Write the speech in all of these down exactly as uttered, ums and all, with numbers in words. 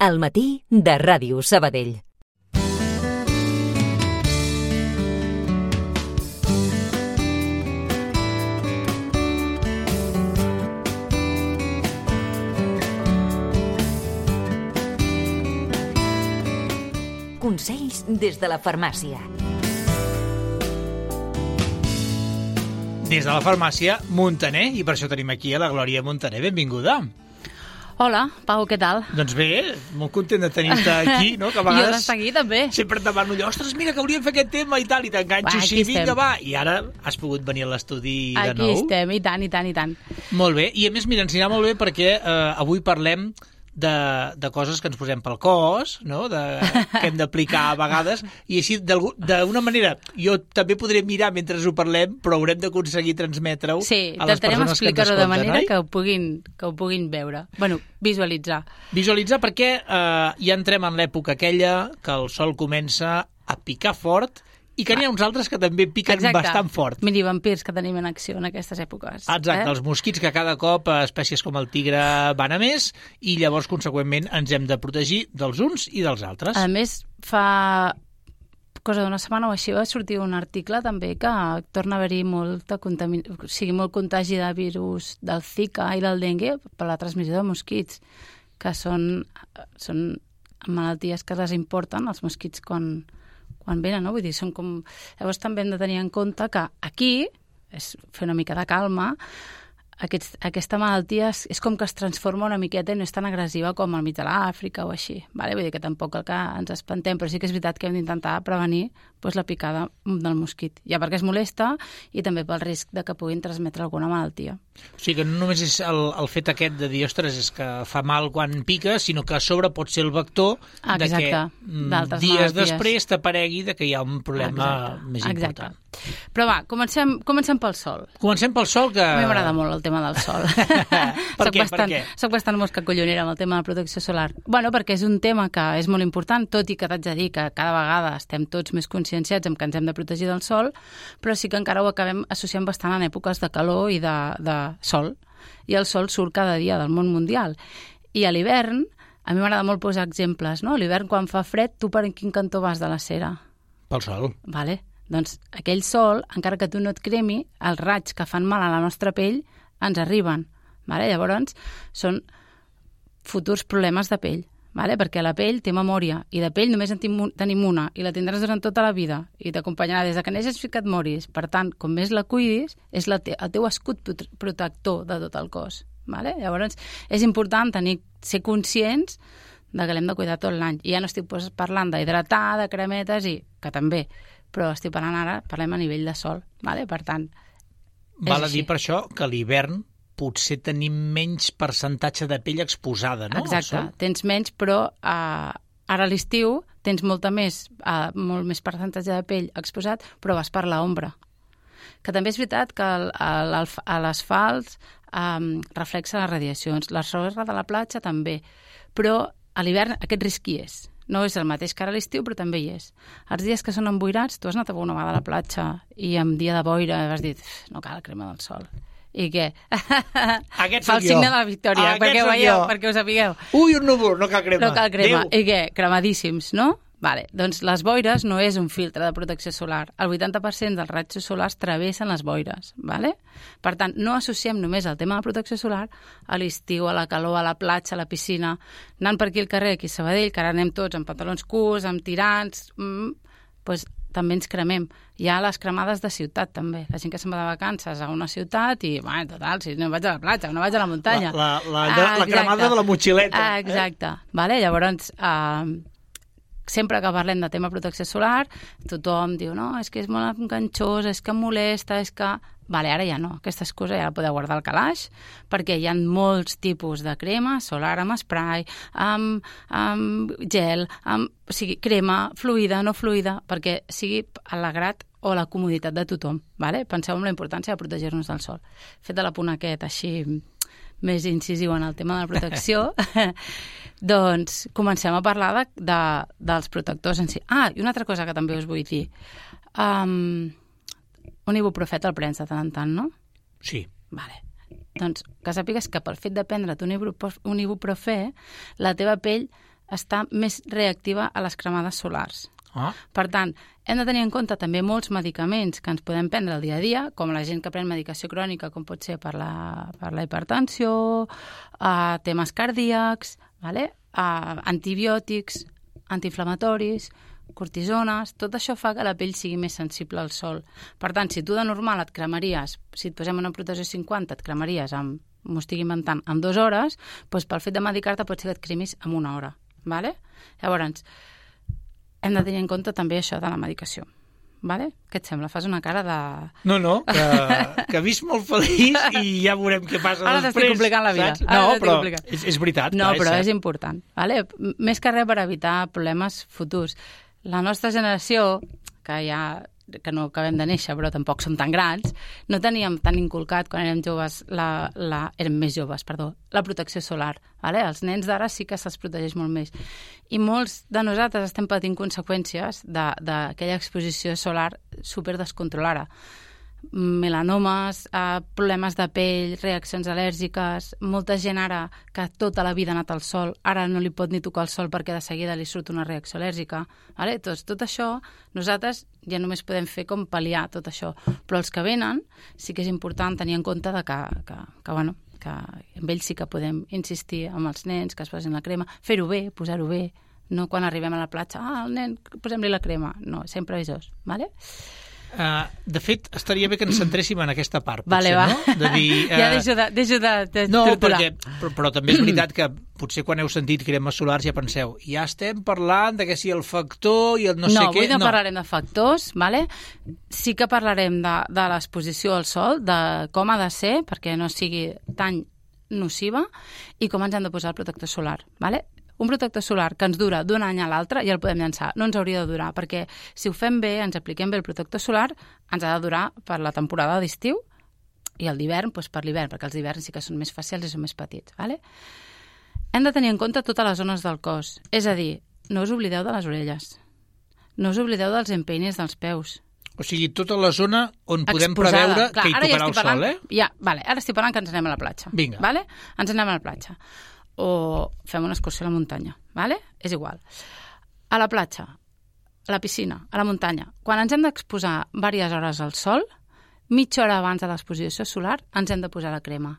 Al matí de Ràdio Sabadell. Consells des de la farmàcia. Des de la farmàcia Montaner, i per això tenim aquí a la Glòria Montaner. Benvinguda. Hola, Pau, què tal? Doncs bé, molt content de tenir-te aquí, no? Que a vegades jo d'estar aquí, també. Sempre et demano allò, ostres, mira, que hauríem fet aquest tema i tal, i t'enganxo així, vinga, va. I ara has pogut venir a l'estudi de nou. Aquí estem, i tant, i tant, i tant. Molt bé, i a més, mira, ens anirà molt bé perquè eh, avui parlem de, de coses que ens posem pel cos, no? De, que hem d'aplicar a vegades, i així, d'una manera, jo també podré mirar mentre ho parlem, però haurem d'aconseguir transmetre-ho sí, a les persones que ens escolten, explicar-ho de manera que ho, puguin, que ho puguin veure. Bueno, visualitzar. Visualitzar perquè eh, ja entrem en l'època aquella que el sol comença a picar fort i que n'hi ha uns altres que també piquen Exacte. bastant fort. Mini vampirs que tenim en acció en aquestes èpoques. Exacte, eh? els mosquits que cada cop espècies com el tigre van a més i llavors, conseqüentment, ens hem de protegir dels uns i dels altres. A més, fa cosa d'una setmana o així va sortir un article també que torna a haver-hi molta contamin... o sigui, molt contagi de virus del Zika i del dengue per la transmissió de mosquits, que són, són malalties que les importen els mosquits quan... quan venen, no? Vull dir, són com... Llavors també hem de tenir en compte que aquí, és fer una mica de calma, aquests, aquesta malaltia és, és com que es transforma una miqueta i no és tan agressiva com al mig de l'Àfrica o així. Vale? Vull dir que tampoc cal que ens espantem, però sí que és veritat que hem d'intentar prevenir doncs, la picada del mosquit. Ja perquè es molesta i també pel risc de que puguin transmetre alguna malaltia. O sigui que no només és el, el fet aquest de dir, ostres, és que fa mal quan pica, sinó que a sobre pot ser el vector Exacte, de que mm, dies malalties. després t'aparegui de que hi ha un problema Exacte. més important. Exacte. Però va, comencem, comencem pel sol. Comencem pel sol, que... A mi m'agrada molt el tema del sol. per soc què? bastant, Per què? Soc bastant mosca collonera amb el tema de la protecció solar. Bueno, perquè és un tema que és molt important, tot i que t'haig de dir que cada vegada estem tots més conscienciats en que ens hem de protegir del sol, però sí que encara ho acabem associant bastant en èpoques de calor i de, de sol. I el sol surt cada dia del món mundial. I a l'hivern, a mi m'agrada molt posar exemples, no? A l'hivern, quan fa fred, tu per quin cantó vas de la cera? Pel sol. Vale. Doncs aquell sol, encara que tu no et cremi, els raigs que fan mal a la nostra pell ens arriben. Vale? Llavors, són futurs problemes de pell. Vale? Perquè la pell té memòria, i de pell només en tenim una, i la tindràs durant tota la vida, i t'acompanyarà des de que neixes fins que et moris. Per tant, com més la cuidis, és la te el teu escut protector de tot el cos. Vale? Llavors, és important tenir, ser conscients de que l'hem de cuidar tot l'any. I ja no estic pues, parlant d'hidratar, de cremetes, i que també, però estic parlant ara, parlem a nivell de sol. Vale? Per tant, Val a dir per això que a l'hivern potser tenim menys percentatge de pell exposada, no? Exacte, tens menys, però uh, ara a l'estiu tens molta més, uh, molt més percentatge de pell exposat, però vas per l'ombra. Que també és veritat que l'asfalt um, reflexa les radiacions, la sorra de la platja també, però a l'hivern aquest risc hi és. No és el mateix que ara a l'estiu, però també hi és. Els dies que són emboirats, tu has anat una vegada a la platja i en dia de boira has dit, no cal crema del sol. I què? Aquest fa el signe de la victòria, Aquest perquè ho veieu, perquè ho sapigueu. Ui, un núvol, no cal crema. No cal crema. Déu. I què? Cremadíssims, no? Vale. Doncs les boires no és un filtre de protecció solar. El vuitanta per cent dels raigs solars travessen les boires. Vale? Per tant, no associem només el tema de protecció solar a l'estiu, a la calor, a la platja, a la piscina. Anant per aquí al carrer, aquí a Sabadell, que ara anem tots amb pantalons curts, amb tirants, mmm, doncs també ens cremem. Hi ha les cremades de ciutat, també. La gent que se'n va de vacances a una ciutat i, bueno, total, si no vaig a la platja, no vaig a la muntanya. La, la, la, ah, la cremada de la motxileta. Ah, exacte. Eh? Vale? Llavors, eh, sempre que parlem de tema protecció solar, tothom diu, no, és que és molt enganxós, és que molesta, és que... Vale, ara ja no, aquesta excusa ja la podeu guardar al calaix, perquè hi ha molts tipus de crema solar amb spray, amb, amb gel, amb, o sigui, crema fluida, no fluida, perquè sigui a l'agrat o la comoditat de tothom. Vale? Penseu en la importància de protegir-nos del sol. Fet de la punt aquest així més incisiu en el tema de la protecció, doncs comencem a parlar de, de, dels protectors en si. Ah, i una altra cosa que també us vull dir. Um, un ibuprofet el prens de tant en tant, no? Sí. Vale. Doncs que sàpigues que pel fet de prendre't un, ibuprof, un ibuprofè, la teva pell està més reactiva a les cremades solars. Ah. Per tant, hem de tenir en compte també molts medicaments que ens podem prendre el dia a dia, com la gent que pren medicació crònica, com pot ser per la, per la hipertensió, uh, temes cardíacs, vale? uh, antibiòtics, antiinflamatoris, cortisones, tot això fa que la pell sigui més sensible al sol. Per tant, si tu de normal et cremaries, si et posem una protecció cinquanta, et cremaries amb, m'ho estic inventant, en dues hores, doncs pel fet de medicar-te pot ser que et cremis en una hora. Vale? Llavors, hem de tenir en compte també això de la medicació. Vale? Què et sembla? Fas una cara de... No, no, que, que visc molt feliç i ja veurem què passa Ara després. Ara t'estic complicant la vida. Saps? No, però complicant. és, és veritat. No, clar, però és, és important. Vale? Més que res per evitar problemes futurs. La nostra generació, que ja que no acabem de néixer, però tampoc som tan grans, no teníem tan inculcat quan érem joves, la, la, érem més joves, perdó, la protecció solar. Vale? Els nens d'ara sí que se'ls protegeix molt més. I molts de nosaltres estem patint conseqüències d'aquella exposició solar super descontrolada. Melanomes, eh, problemes de pell, reaccions al·lèrgiques, molta gent ara que tota la vida ha anat al sol, ara no li pot ni tocar el sol perquè de seguida li surt una reacció al·lèrgica. Vale? Tot, tot això, nosaltres ja només podem fer com pal·liar tot això. Però els que venen sí que és important tenir en compte de que, que, que, bueno, que amb ells sí que podem insistir amb els nens, que es posin la crema, fer-ho bé, posar-ho bé, no quan arribem a la platja, ah, el nen, posem-li la crema. No, sempre avisós, vale? Uh, de fet, estaria bé que ens centréssim en aquesta part, vale, potser, va. no? De dir, uh... ja deixo de, deixo de, de no, torturar. perquè, però, però també és veritat que potser quan heu sentit cremes solars ja penseu, ja estem parlant de que si el factor i el no, no sé què... Avui no, no parlarem de factors, vale? Sí que parlarem de, de l'exposició al sol, de com ha de ser perquè no sigui tan nociva i com ens hem de posar el protector solar, vale? Un protector solar que ens dura d'un any a l'altre ja el podem llançar. No ens hauria de durar, perquè si ho fem bé, ens apliquem bé el protector solar, ens ha de durar per la temporada d'estiu i el d'hivern doncs per l'hivern, perquè els hiverns sí que són més fàcils i són més petits. Vale? Hem de tenir en compte totes les zones del cos. És a dir, no us oblideu de les orelles. No us oblideu dels empeines dels peus. O sigui, tota la zona on podem Exposada. preveure Clar, que hi ara tocarà ja el parlant, sol, eh? Ja, vale, ara estic parlant que ens anem a la platja. Vinga. Vale? Ens anem a la platja. O fem una excursió a la muntanya, vale? És igual. A la platja, a la piscina, a la muntanya, quan ens hem d'exposar diverses hores al sol, mitja hora abans de l'exposició solar ens hem de posar la crema.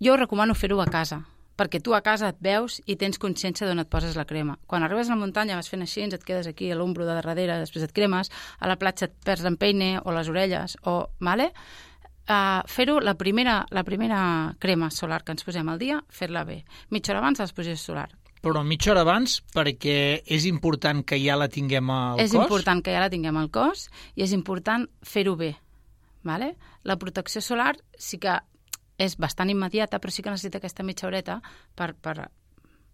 Jo us recomano fer-ho a casa, perquè tu a casa et veus i tens consciència d'on et poses la crema. Quan arribes a la muntanya vas fent així, et quedes aquí a l'ombro de darrere, després et cremes, a la platja et perds l'empeine o les orelles, o... Vale? Uh, fer-ho la primera, la primera crema solar que ens posem al dia, fer-la bé. Mitja hora abans de l'exposició solar. Però mitja hora abans perquè és important que ja la tinguem al és cos? És important que ja la tinguem al cos i és important fer-ho bé. Vale? La protecció solar sí que és bastant immediata, però sí que necessita aquesta mitja horeta per, per,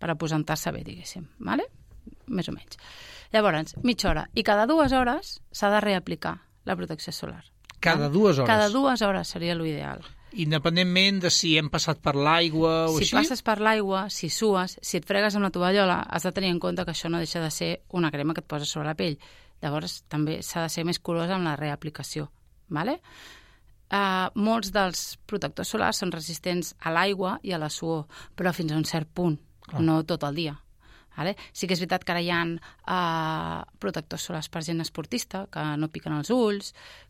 per aposentar-se bé, diguéssim. Vale? Més o menys. Llavors, mitja hora. I cada dues hores s'ha de reaplicar la protecció solar. Cada dues hores? Cada dues hores seria l'ideal. Independentment de si hem passat per l'aigua o si així? Si passes per l'aigua, si sues, si et fregues amb la tovallola, has de tenir en compte que això no deixa de ser una crema que et poses sobre la pell. Llavors, també s'ha de ser més curosa amb la reaplicació. Vale? Uh, molts dels protectors solars són resistents a l'aigua i a la suor, però fins a un cert punt, Clar. no tot el dia. Vale? Sí que és veritat que ara hi ha uh, protectors solars per gent esportista, que no piquen els ulls,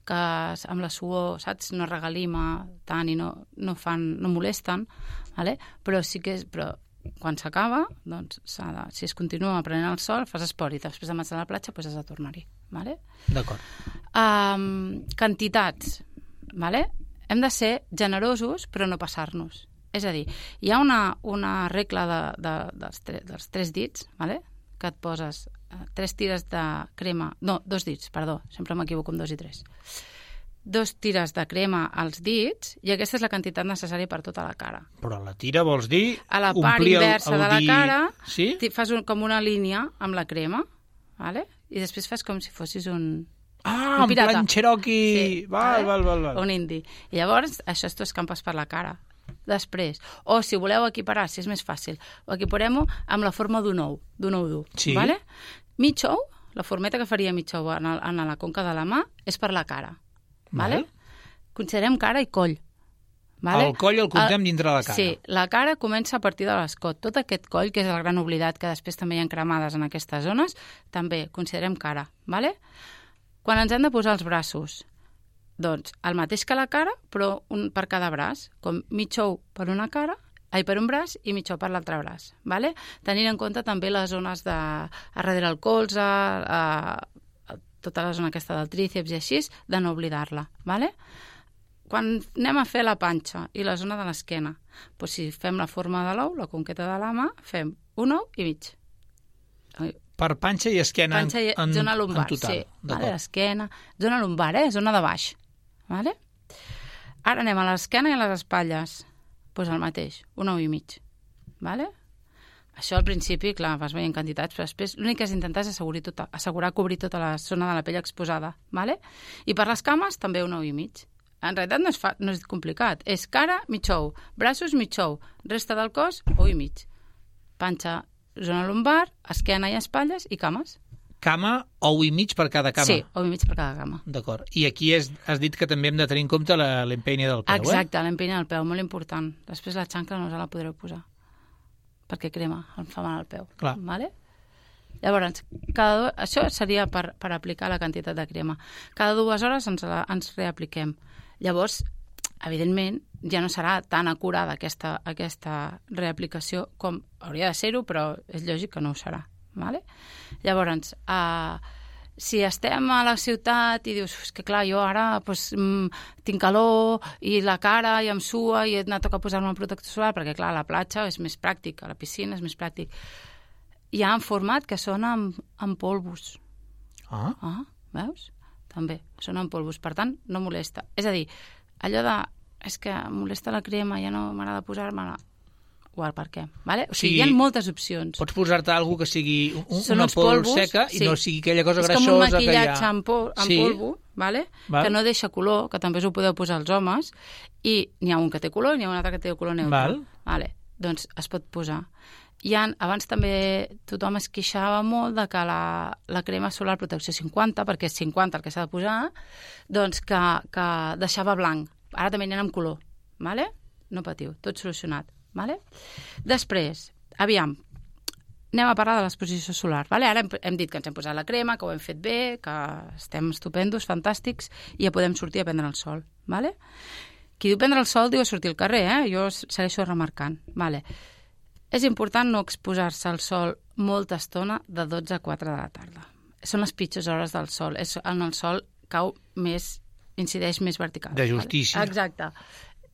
que amb la suor, saps, no regalima tant i no, no, fan, no molesten, vale? Però sí que és... Però quan s'acaba, doncs, de, si es continua prenent el sol, fas esport i després de marxar a la platja, doncs has de tornar-hi. Vale? D'acord. Um, quantitats. Vale? Hem de ser generosos, però no passar-nos. És a dir, hi ha una, una regla de, de, dels, tre, dels tres dits, vale? Que et poses eh, tres tires de crema... No, dos dits, perdó, sempre m'equivoco amb dos i tres. Dos tires de crema als dits i aquesta és la quantitat necessària per tota la cara. Però la tira vols dir... A la part inversa el, el de la dir... cara sí? fas un, com una línia amb la crema, vale? I després fas com si fossis un... Ah, en plan Cherokee... Sí, val, vale? val, val, val. Un indi. I llavors això t'ho escampes per la cara. Després, o si voleu equiparar, si és més fàcil, o equiparem-ho amb la forma d'un ou, d'un ou dur. Sí. Vale? Mig ou, la formeta que faria mig ou en, el, en la conca de la mà, és per la cara. Vale? Val. Considerem cara i coll. Vale? El coll el comptem dintre de la cara. Sí, la cara comença a partir de l'escot. Tot aquest coll, que és el gran oblidat, que després també hi ha cremades en aquestes zones, també considerem cara. Vale? Quan ens hem de posar els braços, doncs el mateix que la cara, però un per cada braç, com mig ou per una cara, ai, per un braç i mig ou per l'altre braç. Vale? Tenint en compte també les zones de a darrere el colze, a, a tota la zona aquesta del tríceps i així, de no oblidar-la. Vale? Quan anem a fer la panxa i la zona de l'esquena, doncs si fem la forma de l'ou, la conqueta de la mà, fem un ou i mig. Per panxa i esquena panxa i, en, zona lumbar, en total. sí. Vale, esquena, zona lumbar, eh? Zona de baix. Vale? Ara anem a l'esquena i a les espatlles. Doncs pues el mateix, un ou i mig. Vale? Això al principi, clar, vas veient quantitats, però després l'únic que has d'intentar és assegurar, tota, assegurar cobrir tota la zona de la pell exposada. Vale? I per les cames també un ou i mig. En realitat no és, fa, no és complicat. És cara, mig ou. Braços, mig ou. Resta del cos, ou i mig. Panxa, zona lumbar, esquena i espatlles i cames. Cama, ou i mig per cada cama. Sí, ou i mig per cada cama. D'acord. I aquí has, has dit que també hem de tenir en compte l'empenya del peu, Exacte, eh? l'empenya del peu, molt important. Després la xancla no us la podreu posar, perquè crema, em fa mal al peu. Clar. Vale? Llavors, cada, això seria per, per aplicar la quantitat de crema. Cada dues hores ens, la, ens reapliquem. Llavors, evidentment, ja no serà tan acurada aquesta, aquesta reaplicació com hauria de ser-ho, però és lògic que no ho serà. Vale? Llavors, eh, si estem a la ciutat i dius, és que clar, jo ara pues, mm, tinc calor i la cara i em sua i no toca posar-me el protector solar, perquè clar, a la platja és més pràctic, a la piscina és més pràctic. Hi ha en format que són amb, amb polvos. Ah. Ah, veus? També, són en polvos, per tant, no molesta. És a dir, allò de, és que em molesta la crema, ja no m'agrada posar-me-la, igual per què, vale? O sigui, Sí, hi ha moltes opcions. Pots posar-te alguna que sigui un, Són una uns pols polvos, seca i sí. no sigui aquella cosa és greixosa com un que hi ha. maquillatge en, pol, en Sí. polvo, vale? Val. Que no deixa color, que també us ho podeu posar els homes, i n'hi ha un que té color i n'hi ha un altre que té color neutre. Val. Vale. Doncs es pot posar. Hi ha, abans també tothom es queixava molt de que la, la crema solar protecció cinquanta, perquè és cinquanta el que s'ha de posar, doncs que, que deixava blanc. Ara també n'hi ha amb color, vale? No patiu, tot solucionat. Vale? Després, aviam, anem a parlar de l'exposició solar. Vale? Ara hem, hem dit que ens hem posat la crema, que ho hem fet bé, que estem estupendos, fantàstics, i ja podem sortir a prendre el sol. Vale? Qui diu prendre el sol diu sortir al carrer, eh? Jo segueixo remarcant. Vale. És important no exposar-se al sol molta estona de dotze a quatre de la tarda. Són les pitjors hores del sol. És on el sol cau més, incideix més vertical. De justícia. Vale? Exacte.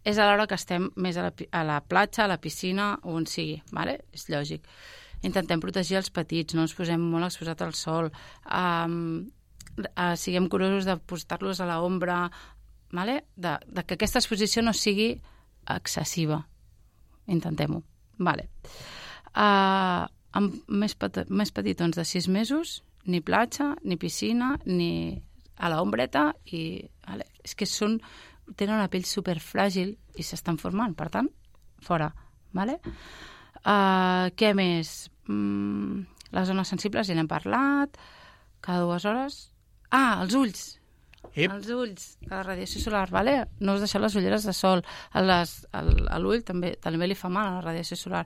És a l'hora que estem més a la, a la platja, a la piscina, on sigui, vale? És lògic. Intentem protegir els petits, no ens posem molt exposat al sol, um, uh, siguem curosos de posar-los a l'ombra, vale? de, de que aquesta exposició no sigui excessiva. Intentem-ho. Vale. Uh, amb més, pet més petitons de sis mesos, ni platja, ni piscina, ni a l'ombreta, i vale? És que són tenen una pell superfràgil i s'estan formant, per tant, fora. Vale? Uh, què més? Mm, les zones sensibles ja n'hem parlat, cada dues hores. Ah, els ulls. Ep. Els ulls, la radiació solar, vale? No us deixeu les ulleres de sol. A les, al, a l'ull també, també li fa mal a la radiació solar.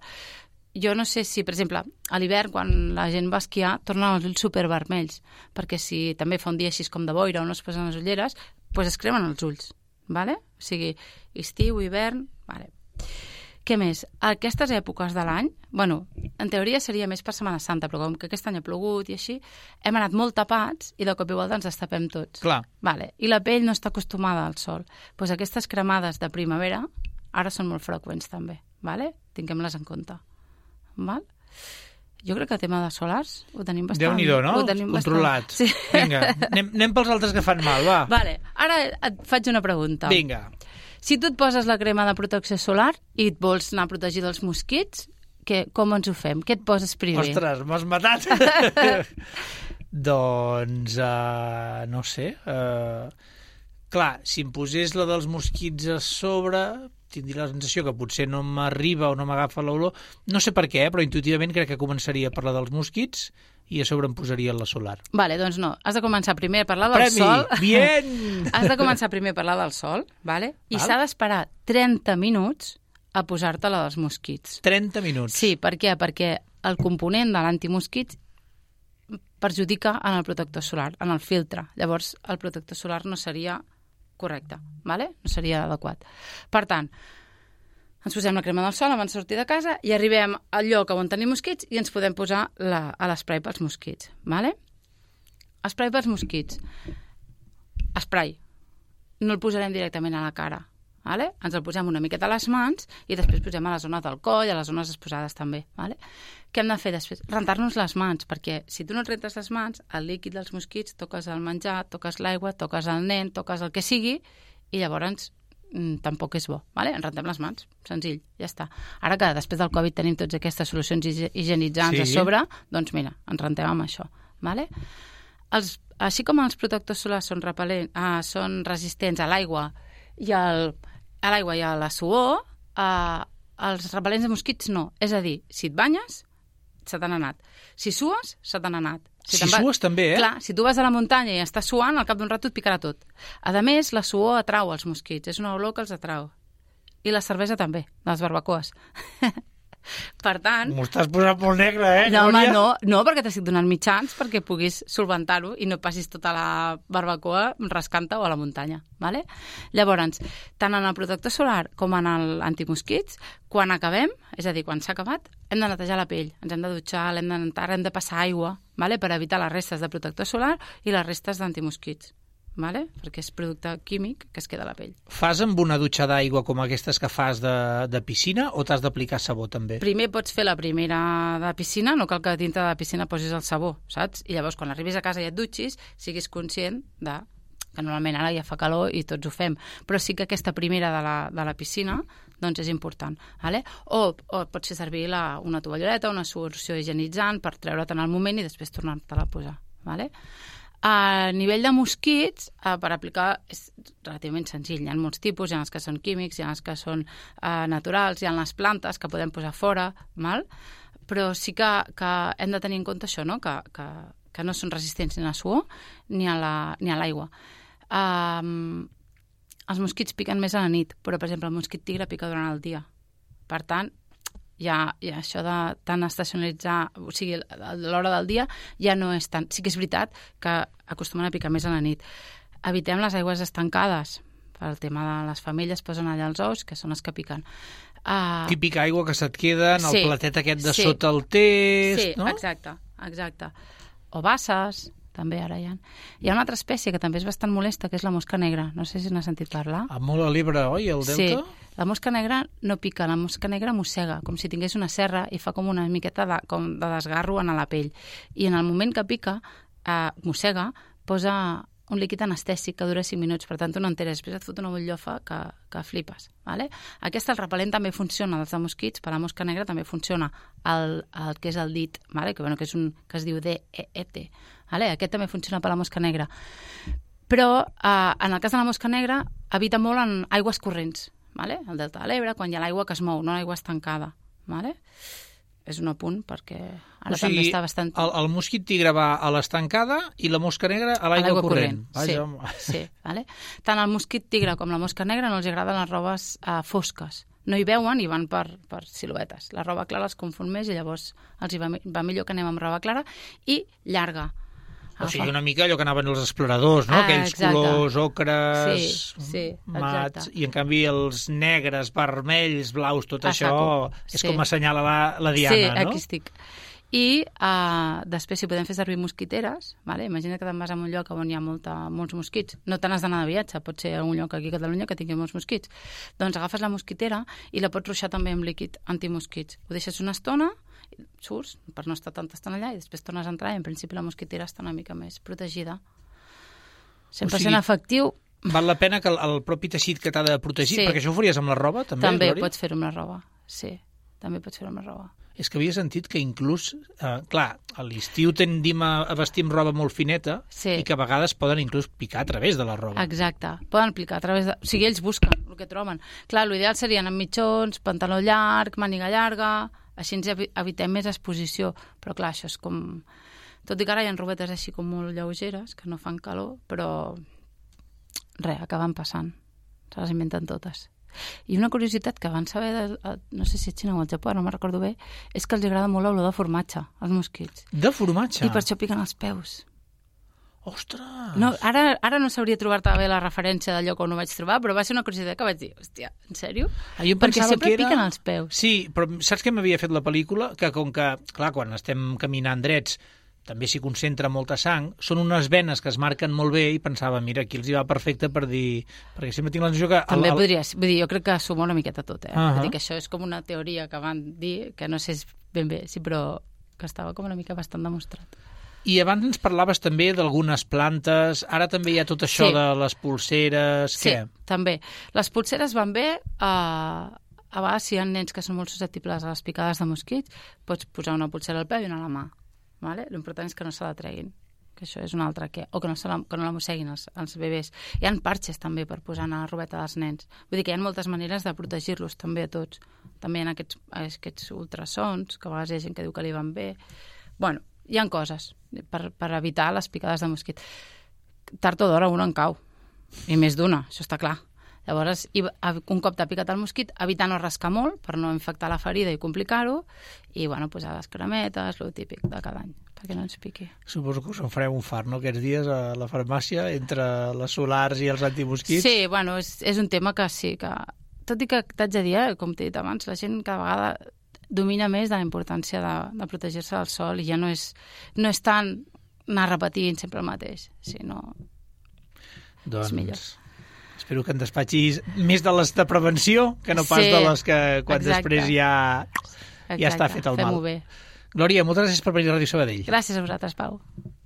Jo no sé si, per exemple, a l'hivern, quan la gent va esquiar, tornen els ulls supervermells, perquè si també fa un dia així com de boira o no es posen les ulleres, doncs es cremen els ulls. Vale? O sigui, estiu, hivern... Vale. Què més? Aquestes èpoques de l'any, bueno, en teoria seria més per Setmana Santa, però com que aquest any ha plogut i així, hem anat molt tapats i de cop i volta ens destapem tots. Clar. Vale. I la pell no està acostumada al sol. Doncs aquestes cremades de primavera ara són molt freqüents també. Vale? Tinguem-les en compte. Val? Jo crec que el tema de solars ho tenim bastant... Déu-n'hi-do, no? Ho tenim Controlat. Bastant... Sí. Vinga, anem, anem pels altres que fan mal, va. Vale. Ara et faig una pregunta. Vinga. Si tu et poses la crema de protecció solar i et vols anar a protegir dels mosquits, que, com ens ho fem? Què et poses primer? Ostres, m'has matat. Doncs, uh, no sé... Uh, clar, si em posés la dels mosquits a sobre, tindria la sensació que potser no m'arriba o no m'agafa l'olor. No sé per què, però intuïtivament crec que començaria a parlar dels mosquits i a sobre em posaria la solar. Vale, doncs no. Has de començar primer a parlar del Premi! sol. Bien! Has de començar primer a parlar del sol, vale? I Val. s'ha d'esperar trenta minuts a posar-te la dels mosquits. trenta minuts. Sí, per què? Perquè el component de l'antimosquits perjudica en el protector solar, en el filtre. Llavors, el protector solar no seria correcte, vale? No seria adequat. Per tant, ens posem la crema del sol abans de sortir de casa i arribem al lloc on tenim mosquits i ens podem posar la, a l'esprai pels mosquits, vale? Esprai pels mosquits. Esprai. No el posarem directament a la cara, vale? Ens el posem una miqueta a les mans i després posem a la zona del coll, a les zones exposades també, vale? Què hem de fer després? Rentar-nos les mans, perquè si tu no et rentes les mans, el líquid dels mosquits, toques el menjar, toques l'aigua, toques el nen, toques el que sigui, i llavors mm, tampoc és bo, vale? Ens rentem les mans, senzill, ja està. Ara que després del Covid tenim totes aquestes solucions higienitzants Sí. a sobre, doncs mira, ens rentem amb això, vale? Els, així com els protectors solars són, repel·lent, ah, són resistents a l'aigua i al, a l'aigua i a la suor, eh, els repel·lents de mosquits no. És a dir, si et banyes, se t'han anat. Si sues, se t'han anat. Si te'n va- sues també, eh? Clar, si tu vas a la muntanya i estàs suant, al cap d'un rato et picarà tot. A més, la suor atrau els mosquits. És una olor que els atrau. I la cervesa també, les barbacoes. Per tant... M'ho estàs posant molt negre, eh? No, home, Núria? no, no, perquè t'estic donant mitjans perquè puguis solventar-ho i no passis tota la barbacoa rascant-te o a la muntanya, vale? Llavors, tant en el protector solar com en l'antimosquits, quan acabem, és a dir, quan s'ha acabat, hem de netejar la pell, ens hem de dutxar, l'hem de nentar, hem de passar aigua, vale? Per evitar les restes de protector solar i les restes d'antimosquits. Vale? Perquè és producte químic que es queda a la pell. Fas amb una dutxa d'aigua com aquestes que fas de, de piscina o t'has d'aplicar sabó també? Primer pots fer la primera de piscina, no cal que dintre de la piscina posis el sabó, saps? I llavors quan arribis a casa i et dutxis, siguis conscient de que normalment ara ja fa calor i tots ho fem, però sí que aquesta primera de la, de la piscina doncs és important. Vale? O, o pots fer servir la, una tovalloleta, una solució higienitzant per treure't en el moment i després tornar-te-la a posar. Vale? A nivell de mosquits, eh, per aplicar és relativament senzill. Hi ha molts tipus, hi ha els que són químics, hi ha els que són eh, naturals, hi ha les plantes que podem posar fora, mal? Però sí que, que hem de tenir en compte això, no? que, que, que no són resistents ni a la suor ni a l'aigua. La, um, els mosquits piquen més a la nit, però, per exemple, el mosquit tigre pica durant el dia. Per tant, ja, ja això de tant estacionalitzar, o sigui, a l'hora del dia ja no és tant. Sí que és veritat que acostumen a picar més a la nit. Evitem les aigües estancades. Per el tema de les femelles posen allà els ous, que són els que piquen. Uh, Típica aigua que se't queda en sí, el platet aquest de sí. sota el test, sí, no? exacte, exacte. O basses, també ara hi ha. Hi ha una altra espècie que també és bastant molesta, que és la mosca negra. No sé si n'has sentit parlar. Ah, molt a l'Ebre, oi, el delta? Sí, la mosca negra no pica, la mosca negra mossega, com si tingués una serra i fa com una miqueta de, com de desgarro en la pell. I en el moment que pica, eh, mossega, posa un líquid anestèsic que dura cinc minuts, per tant tu no enteres, després et fot una butllofa que, que flipes. Vale? Aquest, el repel·lent, també funciona, els de mosquits, per la mosca negra també funciona el, el que és el dit, vale? que, bueno, que, és un, que es diu D E E T. Vale? Aquest també funciona per la mosca negra. Però eh, en el cas de la mosca negra evita molt en aigües corrents, vale? El delta de l'Ebre, quan hi ha l'aigua que es mou, no l'aigua estancada. Vale? És un apunt perquè ara o sigui, també està bastant... el, el mosquit tigre va a l'estancada i la mosca negra a l'aigua corrent. corrent. Vaja, sí, sí, vale? Tant el mosquit tigre com la mosca negra no els agraden les robes eh, fosques. No hi veuen i van per, per siluetes. La roba clara els confon més i llavors els hi va, va millor que anem amb roba clara i llarga. O sigui, una mica allò que anaven els exploradors, no? Ah, Aquells exacte. colors, ocres, Sí, sí, mats, exacte. i en canvi els negres, vermells, blaus, tot A això saco, és sí. com assenyala la, la Diana, sí, no? aquí estic. I uh, després, si podem fer servir mosquiteres, vale? Imagina que te'n vas a un lloc on hi ha molta, molts mosquits. No te n'has d'anar de viatge, pot ser un lloc aquí a Catalunya que tingui molts mosquits. Doncs agafes la mosquitera i la pots ruixar també amb líquid antimosquits. Ho deixes una estona, surts per no estar tanta estona allà i després tornes a entrar i en principi la mosquitera està una mica més protegida. cent per cent O sigui, efectiu. Val la pena que el, el propi teixit que t'ha de protegir, Sí. perquè això ho faries amb la roba, també, També Glòria? pots fer-ho amb la roba, sí. També pots fer-ho amb la roba. És que havia sentit que inclús, eh, clar, a l'estiu tendim a, a vestir amb roba molt fineta Sí. i que a vegades poden inclús picar a través de la roba. Exacte. Poden aplicar a través de... O sigui, ells busquen el que troben. Clar, l'ideal serien amb mitjons, pantaló llarg, màniga llarga, així ens evi- evitem més exposició. Però clar, això és com... Tot i que ara hi ha robetes així com molt lleugeres, que no fan calor, però res, acaben passant. Se les inventen totes. I una curiositat que van saber, de, no sé si a Xina o al Japó, no me'n recordo bé, és que els agrada molt l'olor de formatge, als mosquits. De formatge? I per això piquen els peus. Ostres! No, ara, ara no sabria trobar-te bé la referència del lloc on ho vaig trobar, però va ser una curiositat que vaig dir, hòstia, en sèrio? Ah, jo Perquè pensava sempre que era... piquen els peus. Sí, però saps què m'havia fet la pel·lícula? Que com que, clar, quan estem caminant drets també s'hi concentra molta sang, són unes venes que es marquen molt bé i pensava, mira, aquí els hi va perfecte per dir... Perquè sempre tinc la sensació que... També podria ser. Vull dir, jo crec que suma una miqueta tot, eh? Uh -huh. Vull dir que això és com una teoria que van dir, que no sé ben bé, sí, però que estava com una mica bastant demostrat. I abans ens parlaves també d'algunes plantes, ara també hi ha tot això Sí. de les polseres... Sí, Què? també. Les polseres van bé... Uh, a vegades, si hi ha nens que són molt susceptibles a les picades de mosquits, pots posar una polsera al peu i una a la mà. Vale? L'important és que no se la treguin, que això és un altre que... O que no, se la, que no la mosseguin els, els bebès. Hi ha parxes també per posar a la robeta dels nens. Vull dir que hi ha moltes maneres de protegir-los també a tots. També hi ha aquests, aquests ultrasons, que a vegades hi ha gent que diu que li van bé. Bueno, hi ha coses per, per evitar les picades de mosquit. Tard o d'hora una en cau, i més d'una, això està clar. Llavors, un cop t'ha picat el mosquit, evitar no rascar molt per no infectar la ferida i complicar-ho, i bueno, posar les cremetes, el típic de cada any, perquè no ens piqui. Suposo que us en fareu un fart, no?, aquests dies a la farmàcia, entre les solars i els antimosquits. Sí, bueno, és, és un tema que sí, que... Tot i que t'haig de dir, eh, com t'he dit abans, la gent cada vegada domina més de la importància de, de protegir-se del sol i ja no és, no és tant anar repetint sempre el mateix, sinó... Doncs... és millor. Espero que en despatxis més de les de prevenció que no pas Sí, de les que quan exacte. després ja, ja Exacte, està fet el mal. fem-ho bé. Glòria, moltes gràcies per venir a Ràdio Sabadell. Gràcies a vosaltres, Pau.